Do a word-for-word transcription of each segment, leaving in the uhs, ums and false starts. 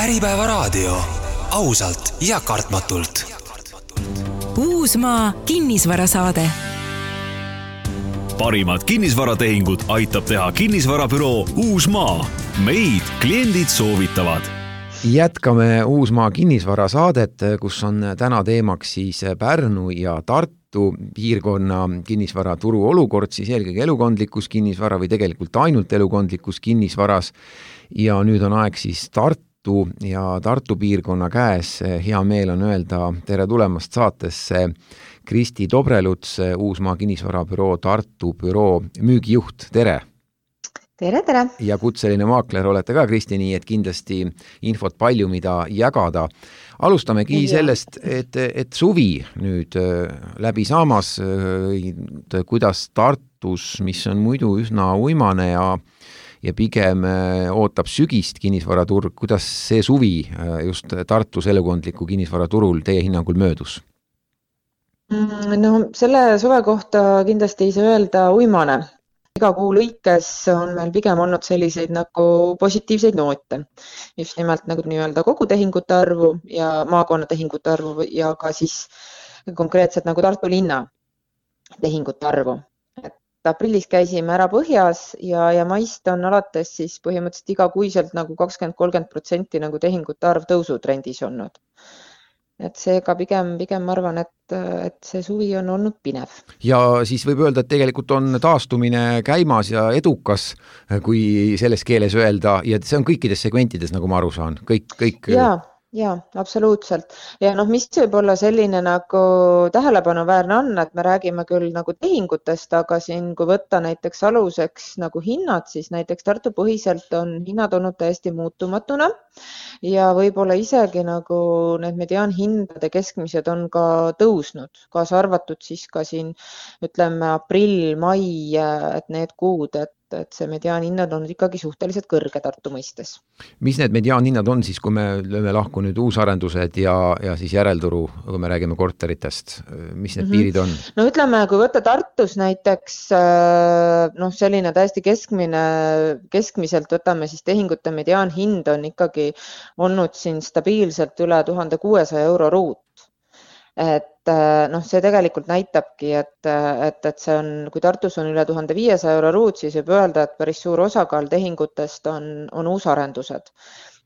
Äripäeva raadio. Ausalt ja kartmatult. Uusmaa kinnisvarasaade. Parimad kinnisvaratehingud aitab teha kinnisvarabüroo Uusmaa. Meid kliendid soovitavad. Jätkame Uusmaa kinnisvarasaadet, kus on täna teemaks siis Pärnu ja Tartu piirkonna kinnisvaraturu olukord, siis eelkõige elukondlikus kinnisvara või tegelikult ainult elukondlikus kinnisvaras. Ja nüüd on aeg siis Tartu ja Tartu piirkonna käes. Hea meel on öelda tere tulemast saatesse Kristi Dobreluts, Uusmaa kinnisvarabüroo Tartu büroo müügijuht. Tere! Tere, tere! Ja kutseline maakler olete ka, Kristi, nii et kindlasti infot palju, mida jagada. Alustamegi ja. sellest, et, et suvi nüüd läbi saamas, kuidas Tartus, mis on muidu üsna uimane ja, ja pigem ootab sügist kinnisvaraturg, kuidas see suvi just Tartus elukondliku kinnisvaraturul teie hinnangul möödus? No selle suve kohta kindlasti ei saa öelda uimane. Iga kuu lõikes on meil pigem olnud selliseid nagu positiivseid noote. Just nimelt nagu nii-öelda kogu tehingute arvu ja maakonna tehingute arvu ja ka siis konkreetselt nagu Tartu linna tehingute arvu. Et aprillis käisime ära Põhjas ja, ja maist on alates siis põhimõtteliselt iga kuiselt nagu kakskümmend kolmkümmend protsenti nagu tehingute arv tõusutrendis olnud. Et seega pigem, pigem ma arvan, et, et see suvi on olnud pinev. Ja siis võib öelda, et tegelikult on taastumine käimas ja edukas, kui selles keeles öelda, ja see on kõikides segmentides, nagu ma aru saan. Kõik, kõik... Ja, ja, absoluutselt. Ja noh, mis võib olla selline nagu tähelepanuväärne on, et me räägime küll nagu tehingutest, aga siin, kui võtta näiteks aluseks nagu hinnad, siis näiteks Tartu põhiselt on hinnad olnud täiesti muutumatuna ja võib-olla isegi nagu need mediaanhindade keskmised on ka tõusnud, kaasa arvatud siis ka siin ütleme aprill, mai, et need kuud, et et see mediaanhinnad on ikkagi suhteliselt kõrge Tartu mõistes. Mis need mediaanhinnad on siis, kui me lööme lahku nüüd uusarendused ja, ja siis järelduru, kui me räägime korteritest, mis need mm-hmm. piirid on? No ütleme, kui võtta Tartus näiteks noh, selline täiesti keskmine, keskmiselt võtame siis tehingute mediaanhind on ikkagi olnud siin stabiilselt üle tuhande kuuesaja euro ruut. Et noh, see tegelikult näitabki, et, et, et see on, kui Tartus on üle tuhande viiesaja euro ruut, siis võib öelda, et päris suur osakaal tehingutest on, on uusarendused.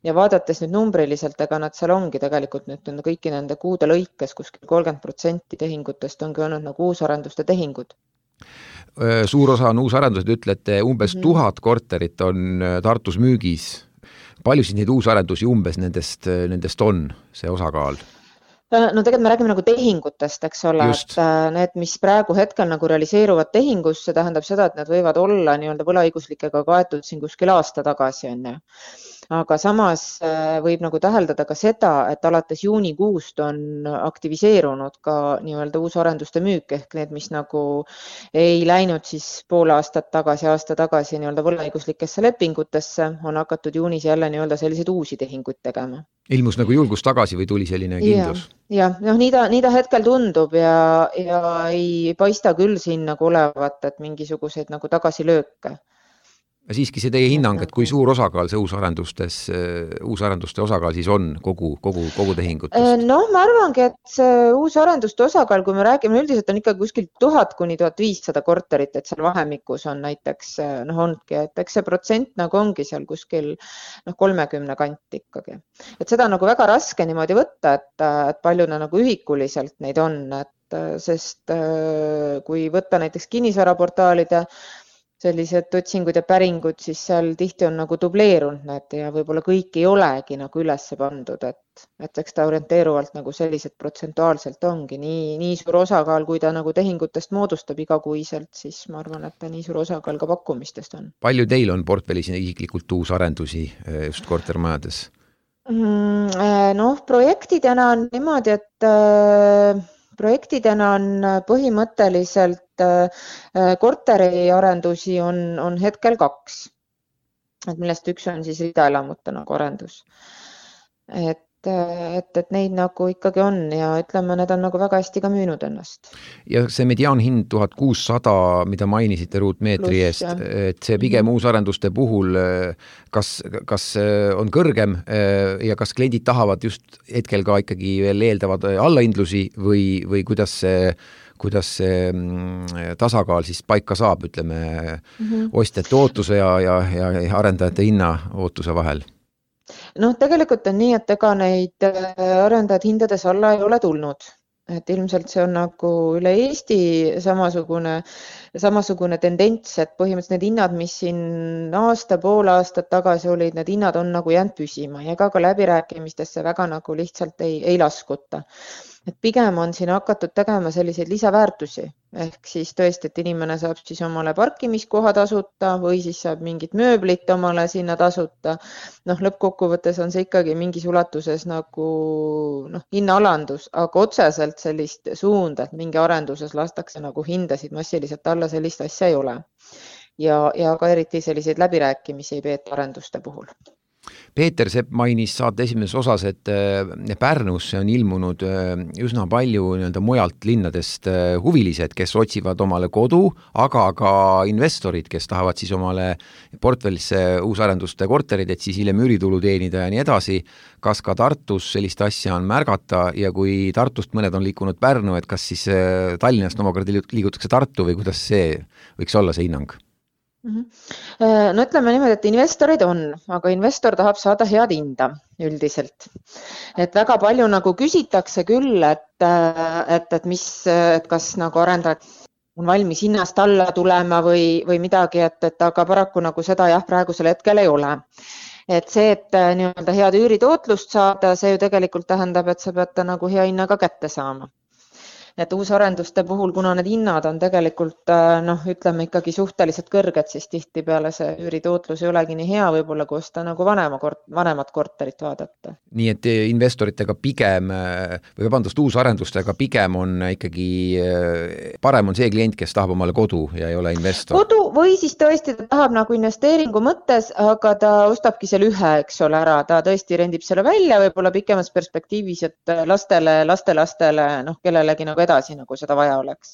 Ja vaadates nüüd numbriliselt, ega nad seal ongi tegelikult nüüd kõiki nende kuude lõikes, kuskil kolmkümmend protsenti tehingutest ongi olnud nagu uusarenduste tehingud. Suur osa on uusarendused, ütlete, umbes mm-hmm. tuhat korterit on Tartus müügis. Palju siis neid uusarendusi umbes nendest, nendest on see osakaal? No tegelikult me räägime nagu tehingutest, eks ole, Just. et need, mis praegu hetkel nagu realiseeruvad tehingus, see tähendab seda, et need võivad olla nii-öelda võlaõiguslikega kaetud siin kuskil aasta tagasi on ju. Aga samas võib nagu täheldada ka seda, et alates juunikuust on aktiviseerunud ka nii-öelda uusarenduste müük ehk need, mis nagu ei läinud siis pool aastat tagasi, aasta tagasi nii-öelda võlaõiguslikesse lepingutesse, on hakatud juunis jälle nii-öelda selliseid uusi tehinguid tegema. Ilmus nagu julgus tagasi või tuli selline kindlus? Ja, ja noh, nii ta, nii ta hetkel tundub ja, ja ei paista küll siin nagu olevat, et mingisuguseid nagu tagasilööke. Ja siiski see teie hinnang, et kui suur osakaal see uusarendustes, uusarenduste osakaal siis on kogu, kogu, kogu tehingutest? No ma arvangi, et see uusarenduste osakaal, kui me räägime, üldiselt on ikka kuskil tuhat kuni tuhat viissada korterit, et seal vahemikus on näiteks, noh ongi, et eks see protsent nagu ongi seal kuskil noh, kolmekümne kanti ikkagi. Et seda on nagu väga raske niimoodi võtta, et, et palju nagu ühikuliselt neid on, et sest kui võtta näiteks kinnisvaraportaalide sellised otsingud ja päringud, siis seal tihti on nagu dubleerunud need ja võib-olla kõik ei olegi nagu ülesse pandud, et, et eks ta orienteeruvalt nagu sellised protsentuaalselt ongi. Nii, nii suur osakaal, kui ta nagu tehingutest moodustab igakuiselt, siis ma arvan, et ta nii suur osakaal ka pakkumistest on. Palju teil on portfellis isiklikult uusarendusi just kortermajades? Noh, projektidena on niimoodi, et projektidena on põhimõtteliselt korteriarendusi on, on hetkel kaks, et millest üks on siis ridaelamute nagu arendus. Et et, et neid nagu ikkagi on ja ütleme, need on nagu väga hästi ka müünud ennast. Ja see mediaanhind tuhat kuussada, mida mainisite ruutmeetri Plus, eest, jah. et see pigem uusarenduste puhul, kas, kas on kõrgem ja kas kliendid tahavad just hetkel ka ikkagi veel eeldavad allahindlusi või, või kuidas see kuidas see tasakaal siis paika saab, ütleme, mm-hmm. ostjate ootuse ja, ja, ja arendajate hinna ootuse vahel? Noh, tegelikult on nii, et ega neid arendajad hindades alla ei ole tulnud. Et ilmselt see on nagu üle Eesti samasugune, samasugune tendents, et põhimõtteliselt need hinnad, mis siin aasta, pool aastat tagasi olid, need hinnad on nagu jäänud püsima ja ega ka läbirääkimistesse väga nagu lihtsalt ei, ei laskuta. Et pigem on siin hakatud tegema selliseid lisaväärtusi, ehk siis tõesti, et inimene saab siis omale parkimiskoha tasuta või siis saab mingit mööblit omale sinna tasuta. Noh, lõppkokkuvõttes on see ikkagi mingis ulatuses nagu noh, hinnaalandus, aga otseselt sellist suunda, et mingi arenduses lastakse nagu hindasid massiliselt alla, sellist asja ei ole. Ja, ja ka eriti selliseid läbirääkimisi ei peeta arenduste puhul. Peeter Sepp mainis saate esimeses osas, et Pärnusse on ilmunud üsna palju nii-öelda mujalt linnadest huvilised, kes otsivad omale kodu, aga ka investorid, kes tahavad siis omale portfellisse uusarenduste korterid, et siis hiljem üüritulu teenida ja nii edasi. Kas ka Tartus sellist asja on märgata ja kui Tartust mõned on liikunud Pärnu, et kas siis Tallinnast omakorda liigutakse Tartu või kuidas see võiks olla see hinnang? No ütleme niimoodi, et investorid on, aga investor tahab saada head hinda üldiselt. Et väga palju nagu küsitakse küll, et, et, et, mis, et kas nagu arendajad on valmis hinnast alla tulema või, või midagi, et, et aga paraku nagu seda jah, praegusel hetkel ei ole. Et see, et nii-öelda head üüritootlust saada, see ju tegelikult tähendab, et sa pead nagu hea hinnaga kätte saama. Et uusarenduste puhul, kuna need hinnad on tegelikult, noh, ütleme ikkagi suhteliselt kõrged, siis tihti peale see üüritootlus ei olegi nii hea, võib-olla kui osta nagu vanema kort, vanemat korterit vaadata. Nii et investoritega pigem, või vabandust, uusarendustega pigem on ikkagi, parem on see klient, kes tahab omale kodu ja ei ole investor. Kodu või siis tõesti ta tahab nagu investeeringu mõttes, aga ta ostabki selle ühe, eks ole, ära. Ta tõesti rendib selle välja, võib-olla pikemas perspektiivis, et lastele, lastelastele, noh, kellelegi nagu edasi, nagu seda vaja oleks.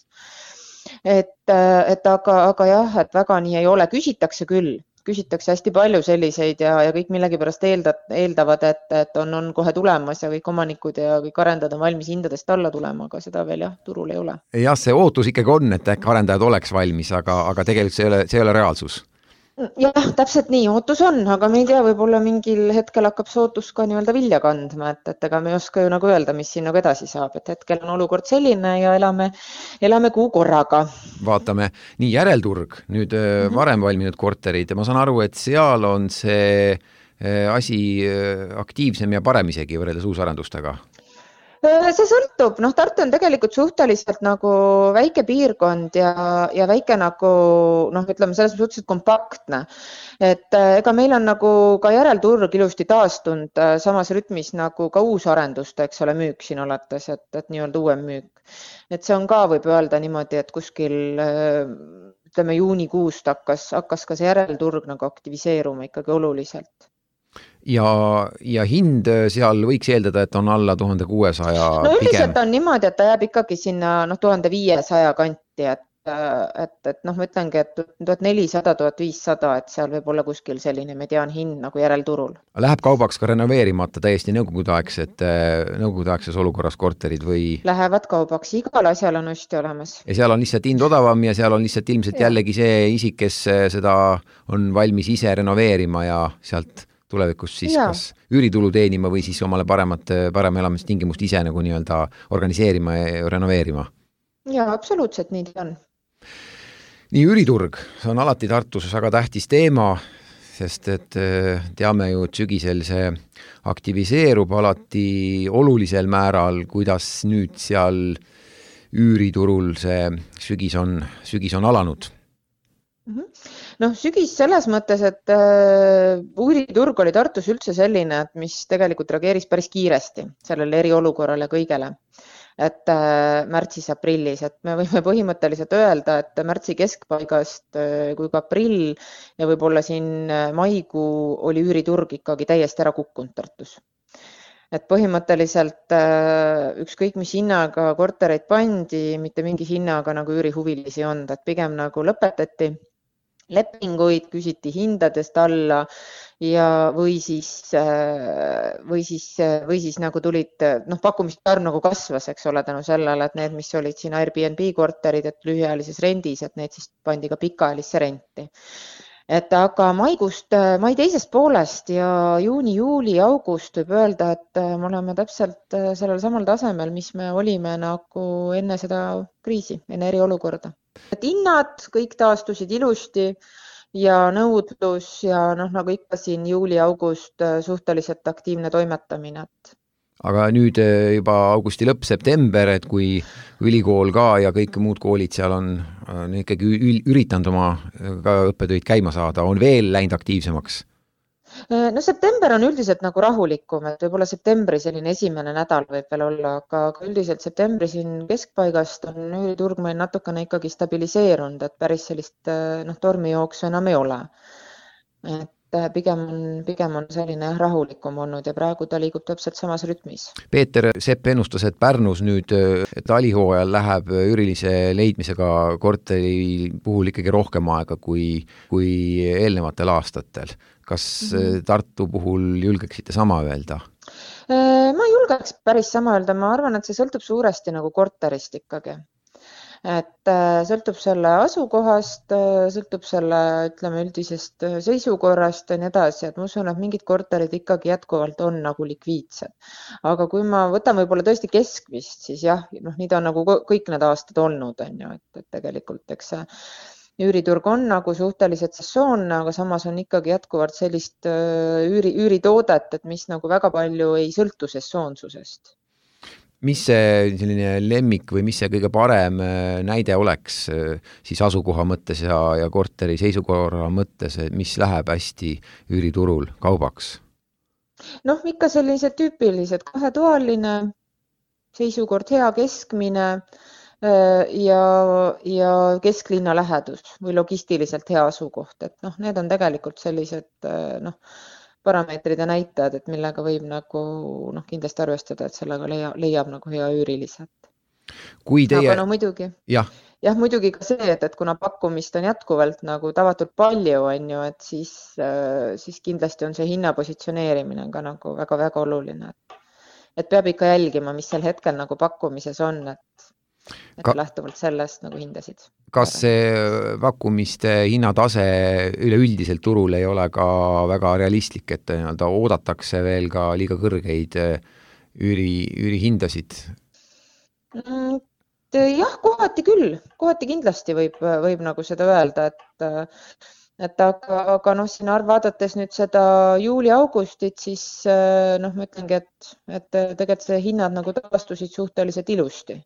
Et, et aga, aga jah, et väga nii ei ole. Küsitakse küll, küsitakse hästi palju selliseid ja, ja kõik millegi pärast eeldad, eeldavad, et, et on, on kohe tulemas ja kõik omanikud ja kõik arendajad on valmis hindadest alla tulema, aga seda veel jah, turul ei ole. Jah, see ootus ikkagi on, et äkki arendajad oleks valmis, aga, aga tegelikult see ei ole, see ei ole reaalsus. Jah, täpselt nii, ootus on, aga me ei tea, võib-olla mingil hetkel hakkab see ootus ka nii-öelda vilja kandma, et, et ega me ei oska ju nagu öelda, mis siin nagu edasi saab, et hetkel on olukord selline ja elame, elame kuu korraga. Vaatame, nii järelturg, nüüd mm-hmm. varem valminud korterid ja ma saan aru, et seal on see asi aktiivsem ja parem isegi võrreldes uusarendustega. See sõltub, noh, Tartu on tegelikult suhteliselt nagu väike piirkond ja, ja väike nagu, noh, ütleme selles suhteliselt kompaktne. Et ega meil on nagu ka järelturg ilusti taastunud samas rütmis nagu ka uusarenduste, eks ole, müük siin alates, et, et nii-öelda uuem müük. Et see on ka, võib öelda niimoodi, et kuskil, ütleme, juunikuust hakkas, hakkas ka see järelturg nagu aktiviseeruma ikkagi oluliselt. Ja, ja hind seal võiks eeldada, et on alla tuhande kuuesaja no üldiselt on niimoodi, et ta jääb ikkagi sinna noh, tuhande viiesaja kanti, et, et, et noh, ma ütlengi, et tuhat nelisada, tuhat viissada, et seal võib olla kuskil selline mediaan hind nagu järelturul. Läheb kaubaks ka renoveerimata täiesti nõukogudeaegset, nõukogudeaegses olukorras korterid või? Lähevad kaubaks, igal asjal on osti olemas. Ja seal on lihtsalt hind odavam ja seal on lihtsalt ilmselt ja. jällegi see isik, kes seda on valmis ise renoveerima ja sealt tulevikus siis ja. kas üüritulu teenima või siis omale paremat, parem elamistingimust ise nagu nii-öelda organiseerima ja renoveerima. Ja, absoluutselt nii on. Nii üüriturg, see on alati Tartus väga tähtis teema, sest et teame ju, et sügisel see aktiviseerub alati olulisel määral, kuidas nüüd seal üüriturul see sügis on, sügis on alanud. Noh, sügis selles mõttes, et äh, üüriturg oli Tartus üldse selline, et mis tegelikult reageeris päris kiiresti sellele eriolukorrale kõigele. Et äh, märtsis-aprillis, et me võime põhimõtteliselt öelda, et märtsi keskpaigast äh, kui ka aprill ja võib-olla siin maikuu oli üüriturg ikkagi täiesti ära kukkunud Tartus. et põhimõtteliselt ükskõik mis hinnaga kortereid pandi, mitte mingi hinnaga nagu üürihuvilisi on, et pigem nagu lõpetati lepinguid, küsiti hindadest alla ja või siis, või siis, või siis nagu tulid, noh, pakkumiste arv nagu kasvas, eks ole, tänu sellele, et need, mis olid siin Airbnb korterid, et lühiajalises rendis, et need siis pandi ka pikaajalisse renti. Et aga maikuust, mai teisest poolest ja juuni, juuli, august võib öelda, et me oleme täpselt sellel samal tasemel, mis me olime nagu enne seda kriisi, enne eriolukorda. Et hinnad kõik taastusid ilusti ja nõudlus ja noh, nagu ikka siin juuli, august suhteliselt aktiivne toimetamine. Aga nüüd juba augusti lõpp, september, et kui ülikool ka ja kõik muud koolid seal on, on ikkagi üritanud oma ka õppetöid käima saada, on veel läinud aktiivsemaks? No september on üldiselt nagu rahulikum, et võib-olla septembri selline esimene nädal võib veel olla, aga üldiselt septembri siin keskpaigast on üüriturg meil natukene ikkagi stabiliseerunud, et päris sellist noh, tormijooksu enam ei ole. Et pigem on, pigem on selline rahulikum olnud ja praegu ta liigub täpselt samas rütmis. Peeter Sepp ennustas, et Pärnus nüüd talihooajal läheb üürilise leidmisega korteri puhul ikkagi rohkem aega kui, kui eelnevatel aastatel. Kas mm-hmm. Tartu puhul julgeksite sama öelda? Ma julgeks päris sama öelda, ma arvan, et see sõltub suuresti nagu korterist ikkagi. Et sõltub selle asukohast, sõltub selle, ütleme, üldisest seisukorrast ja nii edasi, et ma usun, et mingid korterid ikkagi jätkuvalt on nagu likviidsed. Aga kui ma võtan võib-olla tõesti keskmist, siis jah, noh, nii ta on nagu kõik need aastad olnud, on ju, et, et tegelikult, eks see üüriturg on nagu suhteliselt sessoonne, aga samas on ikkagi jätkuvalt sellist üüri, üüritoodet, et mis nagu väga palju ei sõltu sessoonsusest. Mis see selline lemmik või mis see kõige parem näide oleks siis asukoha mõttes ja, ja korteri seisukorra mõttes, mis läheb hästi üüriturul kaubaks? Noh, ikka sellised tüüpilised kahetoaline, seisukord hea keskmine ja, ja kesklinna lähedus või logistiliselt hea asukoht. Et noh, need on tegelikult sellised noh, parameetrid ja näitajad, et millega võib nagu noh, kindlasti arvestada, et sellega leiab, leiab nagu hea üüriliselt. Kui teie... Aga no muidugi, jah. jah, muidugi ka see, et, et kuna pakkumist on jätkuvalt nagu tavatult palju, on ju, et siis, siis kindlasti on see hinnapositsioneerimine ka nagu väga-väga oluline. Et peab ikka jälgima, mis sel hetkel nagu pakkumises on, et, et ka... lähtuvalt sellest nagu hindasid. Kas see pakkumiste hinnatase üleüldiselt turul ei ole ka väga realistlik, et oodatakse veel ka liiga kõrgeid üüri, üürihindasid? Jah, kohati küll. Kohati kindlasti võib, võib nagu seda öelda, et, et aga, aga noh, siin arv vaadates nüüd seda juuli-augustit, siis noh, ma ütlengi, et, et tegelikult see hinnad nagu taastusid suhteliselt ilusti.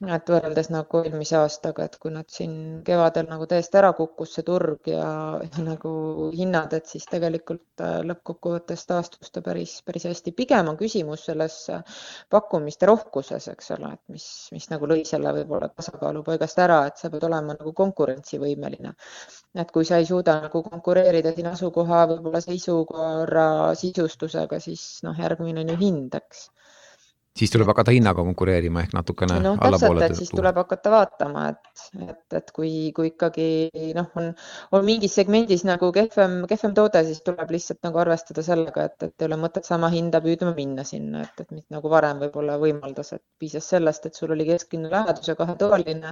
Et võrreldes nagu eelmise aastaga, et kui nad siin kevadel nagu täiesti ära kukkus see turg ja, ja nagu hinnad, et siis tegelikult lõppkokkuvõttes taastus ta päris, päris hästi. Pigem on küsimus selles pakkumiste rohkuses, eks ole, et mis, mis nagu lõi selle võib-olla tasakaalu paigast ära, et sa pead olema nagu konkurentsivõimeline. Et kui sa ei suuda nagu konkureerida siin asukoha võib-olla seisukorra sisustusega, siis noh, järgmine on ju hind, eks. Siis tuleb hakata hinnaga konkureerima ehk natukene no, allapoole. Täpselt, et siis tuleb hakata vaatama, et, et, et kui, kui ikkagi noh, on, on mingis segmendis nagu kehvem, kehvem toode, siis tuleb lihtsalt nagu arvestada sellega, et, et ei ole mõtet sama hinda püüdma minna sinna, et, et mitte nagu varem võib-olla võimaldas, et piisas sellest, et sul oli kesklinna lähedus ja kahetoaline,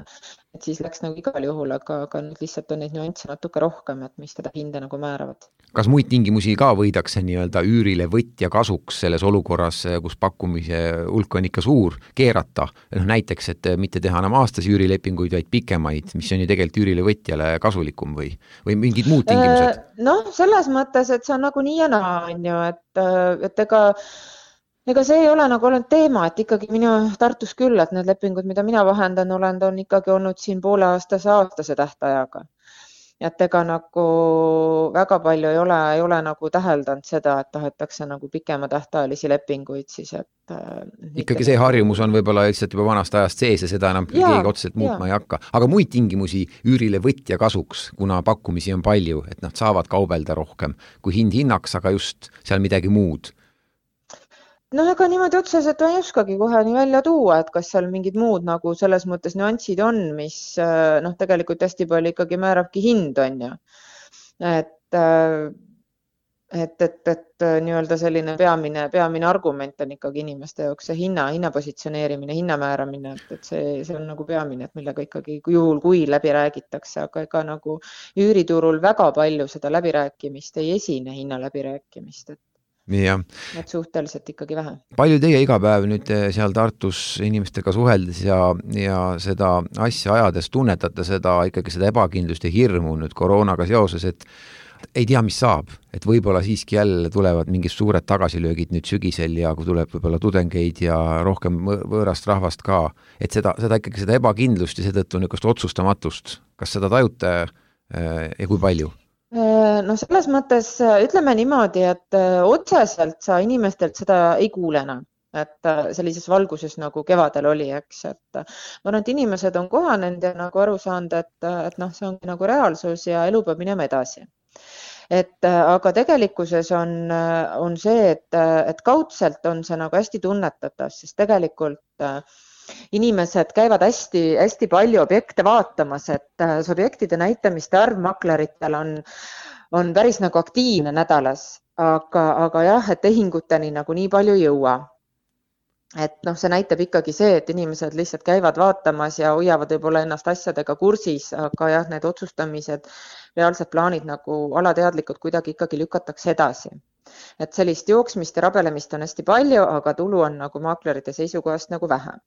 et siis läks nagu igal juhul, aga, aga nüüd lihtsalt on neid nüansse natuke rohkem, et mis teda hinda nagu määravad. Kas muid tingimusi ka võidakse nii-öelda üürile võtja kasuks selles olukorras, kus pakkumise hulk on ikka suur, keerata? No, näiteks, et mitte teha enam aastas üürilepinguid, vaid pikemaid, mis on ju tegelikult üürile võtjale kasulikum või, või mingid muud tingimused? Noh, selles mõttes, et see on nagu nii ja naa, on ju, et, et ega, ega see ei ole nagu olnud teema, et ikkagi minu Tartus küll, et need lepingud, mida mina vahendan olen, on ikkagi olnud siin poole aastase aastase tähtajaga. Et ega nagu väga palju ei ole, ei ole nagu täheldanud seda, et tahetakse nagu pikema tähtajalisi lepinguid siis, et ikkagi see harjumus on võib-olla lihtsalt juba vanast ajast sees ja seda enam ja, keegi otseselt muutma ja. Ei hakka. Aga muid tingimusi üürile võtja kasuks, kuna pakkumisi on palju, et nad saavad kaubelda rohkem kui hind hinnaks, aga just seal midagi muud. noh, ega niimoodi otseselt ei oskagi kohe nii välja tuua, et kas seal mingid muud nagu selles mõttes nüansid on, mis noh, tegelikult hästi palju ikkagi määrabki hind, on ju. Et, et, et, et nii-öelda selline peamine, peamine argument on ikkagi inimeste jaoks see hinna, hinna positsioneerimine, hinna määramine, et, et see, see on nagu peamine, et millega ikkagi juhul, kui läbi räägitakse, aga ega nagu üüriturul väga palju seda läbirääkimist ei esine, hinna läbirääkimist, et Ja. et suhteliselt ikkagi vähe. Palju teie iga päev nüüd seal Tartus inimestega suheldes ja, ja seda asja ajades tunnetate seda ikkagi seda ebakindlust ja hirmu nüüd koroonaga seoses, et ei tea, mis saab, et võib-olla siiski jälle tulevad mingid suured tagasilöögid nüüd sügisel ja kui tuleb võib-olla tudengeid ja rohkem võõrast rahvast ka, et seda, seda ikkagi seda ebakindlust ja seetõttu niisugust otsustamatust, kas seda tajute ja kui palju? No selles mõttes ütleme niimoodi, et otseselt sa inimestelt seda ei kuule enam, et sellises valguses nagu kevadel oli, eks, et ma arvan, et inimesed on kohanenud ja nagu aru saanud, et, et noh, see ongi nagu reaalsus ja elu peab minema edasi. Et aga tegelikkuses on, on see, et, et kaudselt on see nagu hästi tunnetatav, sest tegelikult inimesed käivad hästi, hästi palju objekte vaatamas, et see objektide näitamiste arv makleritel on, on päris nagu aktiivne nädalas, aga, aga jah, et tehinguteni nagu nii palju ei jõua. Et noh, see näitab ikkagi see, et inimesed lihtsalt käivad vaatamas ja hoiavad võib-olla ennast asjadega kursis, aga jah, need otsustamised, reaalsed plaanid nagu alateadlikud kuidagi ikkagi lükatakse edasi. Et sellist jooksmist ja rabelemist on hästi palju, aga tulu on nagu maaklerite seisukohast nagu vähem.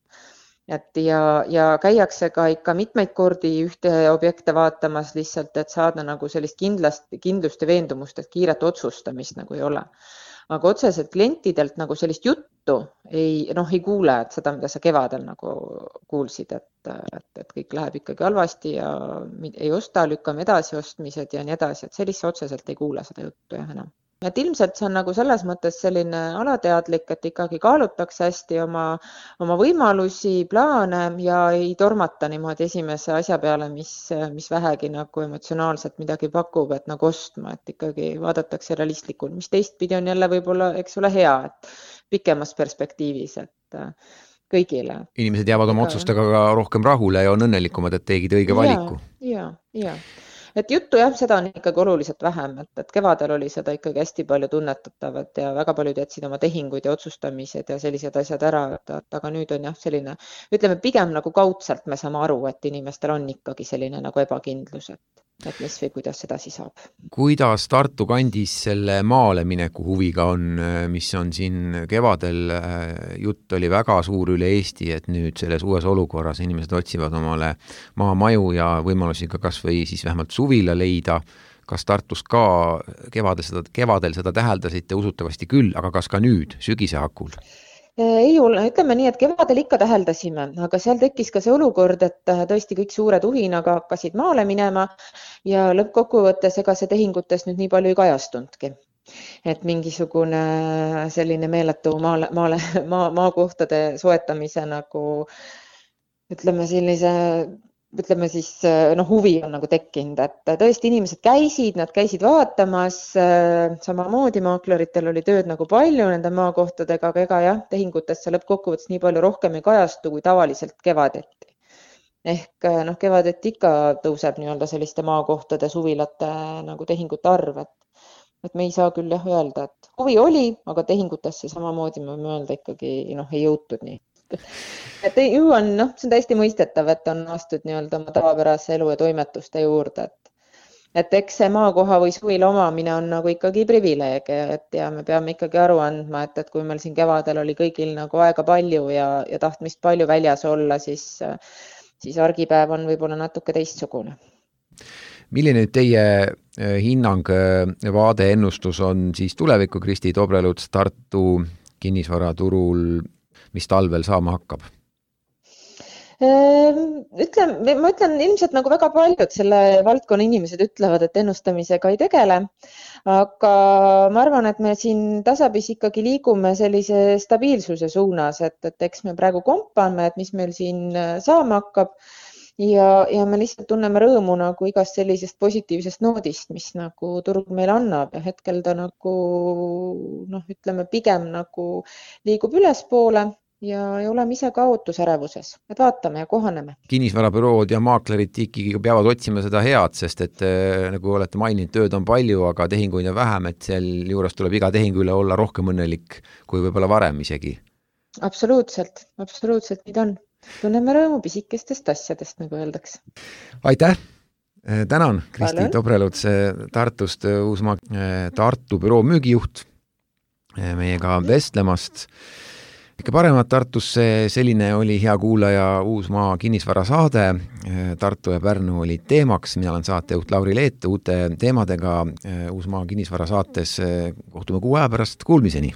Et ja, ja käiakse ka ikka mitmeid kordi ühte objekte vaatamas lihtsalt, et saada nagu sellist kindlast, kindlust ja veendumust, et kiiret otsustamist nagu ei ole. Aga otseselt klientidelt nagu sellist juttu ei, noh, ei kuule, et seda, mida sa kevadel nagu kuulsid, et, et, et kõik läheb ikkagi halvasti ja ei osta, lükkame edasi ostmised ja nii edasi, et sellise otseselt ei kuule seda juttu jah enam. Et ilmselt see on nagu selles mõttes selline alateadlik, et ikkagi kaalutakse hästi oma, oma võimalusi, plaane ja ei tormata niimoodi esimese asja peale, mis, mis vähegi nagu emotsionaalselt midagi pakub, et nagu ostma, et ikkagi vaadatakse realistlikult, mis teistpidi on jälle võib-olla, eks ole, hea, et pikemas perspektiivis, et kõigile. Inimesed jäävad oma otsustega ka rohkem rahule ja on õnnelikumad, et tegid õige valiku. Ja, ja. Et juttu jah, seda on ikkagi oluliselt vähem, et, et kevadel oli seda ikkagi hästi palju tunnetatavat ja väga paljud jätsid oma tehinguid ja otsustamised ja sellised asjad ära, et, aga nüüd on jah selline, ütleme pigem nagu kaudselt me saame aru, et inimestel on ikkagi selline nagu ebakindlus, et, et mis või kuidas edasi saab. Kuidas Tartu kandis selle maale mineku huviga on, mis on siin kevadel, jutt oli väga suur üle Eesti, et nüüd selles uues olukorras inimesed otsivad omale maamaju ja võimalusi ka kas või siis vähemalt suvila leida. Kas Tartus ka kevadel seda, kevadel seda täheldasite usutavasti küll, aga kas ka nüüd, sügise hakul? Ei ole, ütleme nii, et kevadel ikka täheldasime, aga seal tekkis ka see olukord, et tõesti kõik suure tuhinaga hakkasid maale minema ja lõppkokkuvõttes ega see tehingutes nüüd nii palju ei kajastundki. Et mingisugune selline meeletu maale, maale, maa, maakohtade soetamise nagu, ütleme sellise ütleme siis, noh, huvi on nagu tekkinud, et tõesti inimesed käisid, nad käisid vaatamas, samamoodi maakleritel oli tööd nagu palju nende maakohtadega, aga ega jah, tehingutesse lõppkokkuvõttes nii palju rohkem ei kajastu kui tavaliselt kevadeti. Ehk noh, kevadeti ikka tõuseb nii-öelda selliste maakohtade suvilate nagu tehingute arv, et, et me ei saa küll jah öelda, et huvi oli, aga tehingutesse samamoodi me võime öelda ikkagi noh, ei jõutud nii. Et ju on, noh, see on täiesti mõistetav, et on astud nii-öelda oma tavapärase elu ja toimetuste juurde, et, et eks see maakoha või suvila omamine on nagu ikkagi privileeg, et ja me peame ikkagi aru andma, et, et kui meil siin kevadel oli kõigil nagu aega palju ja, ja tahtmist palju väljas olla, siis, siis argipäev on võib-olla natuke teistsugune. Milline teie hinnang, vaade, ennustus on siis tuleviku Kristi Tobreluts Tartu kinnisvaraturul, mis talvel saama hakkab? Ütlen, ma ütlen ilmselt nagu väga paljud selle valdkonna inimesed ütlevad, et ennustamisega ei tegele, aga ma arvan, et me siin tasapis ikkagi liigume sellise stabiilsuse suunas, et, et eks me praegu kompame, et mis meil siin saama hakkab ja, ja me lihtsalt tunneme rõõmu nagu igast sellisest positiivsest noodist, mis nagu turg meile annab ja hetkel ta nagu, noh, ütleme pigem nagu liigub ülespoole ja, ja oleme ise ka ootusärevuses, et vaatame ja kohaneme. Kinnisvarabürood ja maaklerid ikkagi peavad otsima seda head, sest et nagu olete maininud, tööd on palju, aga tehinguid on vähem, et seal juures tuleb iga tehingu üle olla rohkem õnnelik kui võib-olla varem isegi. Absoluutselt, absoluutselt nii on. Tunneme rõõmu pisikestest asjadest, nagu öeldakse. Aitäh! Tänan, Kristi Tobreluts Tartust, Uusmaa Tartu büroo müügijuht meiega vestlemast. Ikka paremat Tartusse, selline oli hea kuulaja Uusmaa kinnisvara saade. Tartu ja Pärnu olid teemaks. Mina olen saatejuht Lauri Leet uute teemadega Uusmaa kinnisvara saates. Kohtume kuu aja pärast, kuulmiseni!